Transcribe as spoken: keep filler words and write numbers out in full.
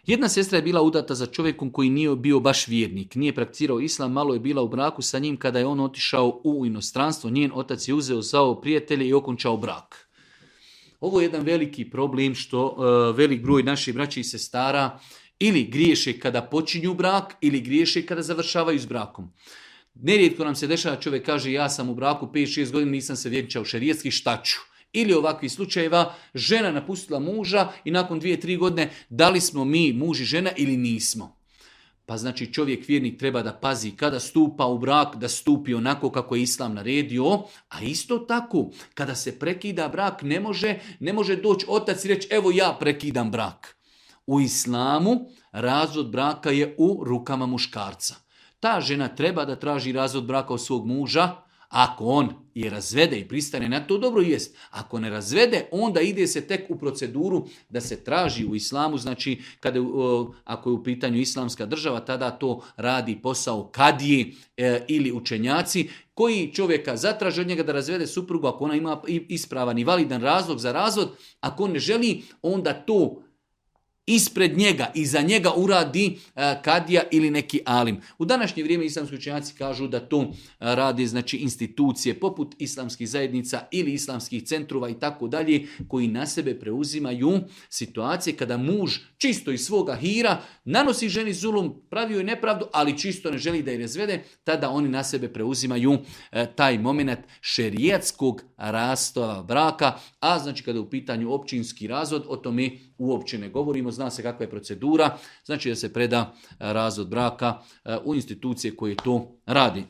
Jedna sestra je bila udata za čovjekom koji nije bio baš vjernik, nije prakticirao islam, malo je bila u braku sa njim kada je on otišao u inostranstvo, njen otac je uzeo zvao prijatelje i okončao brak. Ovo je jedan veliki problem što uh, velik broj naših braća i sestara ili griješe kada počinju brak ili griješe kada završavaju s brakom. Nerijetko nam se dešava, čovjek kaže ja sam u braku pet šest godina, nisam se vjenčao šerijetski, šta ću? Ili ovakvih slučajeva, žena napustila muža i nakon dvije, tri godine da li smo mi muž i žena ili nismo. Pa znači čovjek vjernik treba da pazi kada stupa u brak, da stupi onako kako je Islam naredio, a isto tako kada se prekida brak ne može, ne može doći otac i reći evo ja prekidam brak. U Islamu razvod braka je u rukama muškarca. Ta žena treba da traži razvod braka od svog muža. Ako on je razvede i pristane na to, dobro jest. Ako ne razvede, onda ide se tek u proceduru da se traži u Islamu. Znači, kada, ako je u pitanju islamska država, tada to radi posao kadije e, ili učenjaci koji čovjeka zatraže od njega da razvede suprugu ako ona ima ispravan i validan razlog za razvod. Ako on ne želi, onda to ispred njega i za njega uradi kadija ili neki alim. U današnje vrijeme islamski učenjaci kažu da to radi znači institucije poput islamskih zajednica ili islamskih centrova i tako dalje koji na sebe preuzimaju situacije kada muž čisto iz svoga hira nanosi ženi zulum, pravi joj nepravdu, ali čisto ne želi da je razvede, tada oni na sebe preuzimaju taj moment šerijatskog rastava braka, a znači kada je u pitanju općinski razvod, o tome uopće ne govorimo, zna se kakva je procedura, znači da se preda razvod braka u institucije koje to radi.